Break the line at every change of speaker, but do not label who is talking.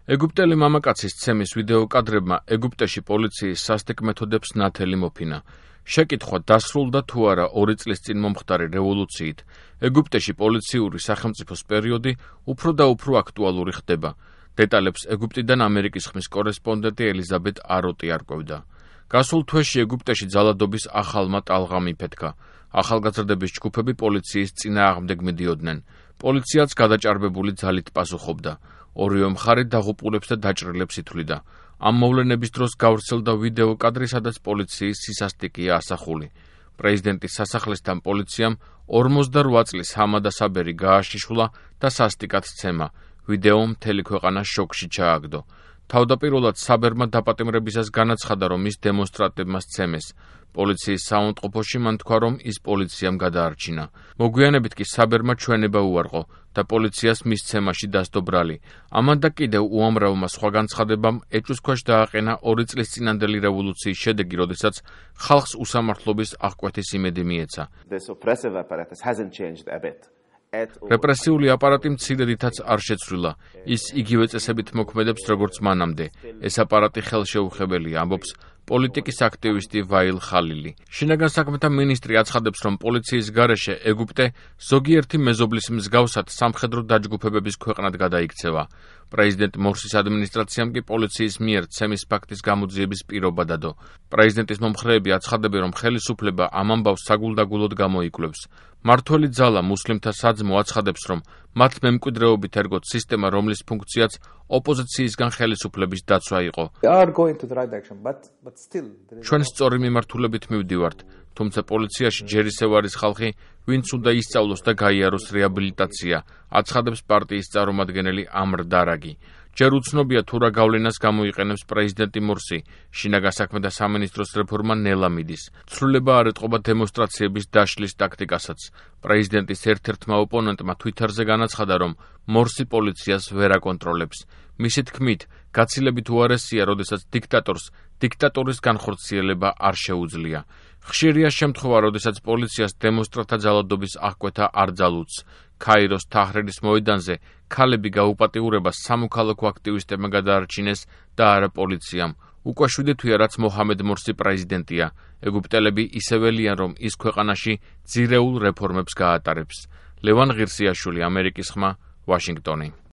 ეგვიპტელი მამაკაცის ცემის ვიდეო კადრებმა ეგვიპტეში პოლიციის სასტიკ მეთოდებს ნათელი მოფინა. შეკითხვა დასრულდა თუ არა 2 წლის წინ მომხდარი რევოლუციით, ეგვიპტეში პოლიციური სახელმწიფოს პერიოდი უფრო და უფრო აქტუალური ხდება. დეტალებს ეგვიპტიდან ამერიკის ხმის კორესპონდენტი ელიზაბეთ აროტი არკვევდა. გასულ თვეში ეგვიპტეში ძალადობის ახალმა ტალღამ იფეთქა. ახალგაზრდების ჯგუფები პოლიციის წინააღმდეგ მიდიოდნენ. პოლიციაც გადაჭარბებული ძალით პასუხობდა. ორივე მხარე დაღუპულებს და დაჭრილებს ითვლიდა. ამ მოვლენების დროს გავრცელდა ვიდეო კადრი, სადაც პოლიციის სისასტიკეა ასახული. პრეზიდენტის სასახლესთან პოლიციამ 48 წლის ჰამადა საბერი გააშიშულა და სასტიკად სცემა. ვიდეო მთელი ქვეყანა შოკში ჩააგდო. თავდაპირველად საბერმა დაპატიმრებისას განაცხადა, რომ ის დემონსტრანტებმა სცემეს. პოლიციის საუნდყოფოში მან თქვა, რომ ის პოლიციამ გადაარჩინა. მოგვიანებით კი საბერმა ჩვენება უარყო და პოლიციას მის სცემაში დასდო ბრალი. ამან და კიდევ უამრავმა სხვა განცხადებამ ეჭვს ქვეშ დააყენა 2 წლის წინანდელი რევოლუციის შედეგი, როდესაც ხალხს უსამართლობის აღკვეთის იმედი მიეცა. რეპრესიული აპარატი მცირედითაც არ შეცვლილა. ის იგივე წესებით მოქმედებს, როგორც მანამდე. ეს აპარატი ხელშეუხებელია, ამბობს პოლიტიკის აქტივისტი ვაილ ხალილი. შინაგან საქმეთა მინისტრი აცხადებს, რომ პოლიციის გარეშე ეგვიპტე ზოგიერთი მეზობლის მსგავსად სამხედრო დაჯგუფებების ქვეყნად გადაიქცევა. პრეზიდენტ მორსის ადმინისტრაციამ კი პოლიციის მიერ ცემის ფაქტის გამოძიების პირობა დადო. პრეზიდენტის მომხრეები აცხადებენ, რომ ხელისუფლება ამ ამბავს საგულდაგულოდ გამოიკვლევს. მმართველი ძალა მუსლიმთა საძმო აცხადებს, რომ მათ მემკვიდრეობით ერგოთ სისტემა, რომლის ფუნქციაც ოპოზიციისგან ხელისუფლების დაცვა იყო. ჩვენ სწორი მიმართულებით მივდივართ, თუმცა პოლიციაში ჯერ ისევ არის ხალხი, ვინც უნდა ისწავლოს და გაიაროს რეაბილიტაცია, აცხადებს პარტიის წარმომადგენელი ამრ დარაგი. ჯერ უცნობია თუ რა გავლენას გამოიყენებს პრეზიდენტი მორსი, შინაგან საქმეთა სამინისტროს რეფორმა ნელა მიდის. ცვლილება არ ეტყობა დემონსტრაციების დაშლის ტაქტიკასაც. პრეზიდენტის ერთ-ერთმა ოპონენტმა თვიტერზე განაცხადა, რომ მორსი პოლიციას ვერ აკონტროლებს. მისი თქმით, გაცილებით უარესია, როდესაც დიქტატორს დიქტატურის განხორციელება არ შეუძლია. ხშირია შემთხვევა, როდესაც პოლიციას დემონსტრანტთა ძალადობის აღკვეთა არ ძალუძს. ქაიროს თაჰრირის მოედანზე ქალები გაუპატიურებას სამოქალაქო აქტივისტებმა გადაარჩინეს და არა პოლიციამ. უკვე 7 თვეა, რაც მოჰამედ მორსი პრეზიდენტია. ეგვიპტელები ისეველიან, რომ ის ქვეყანაში ძირეულ რეფორმებს გაატარებს. ლევან ღირსიაშვილი, ამერიკის ხმა, ვაშინგტონი.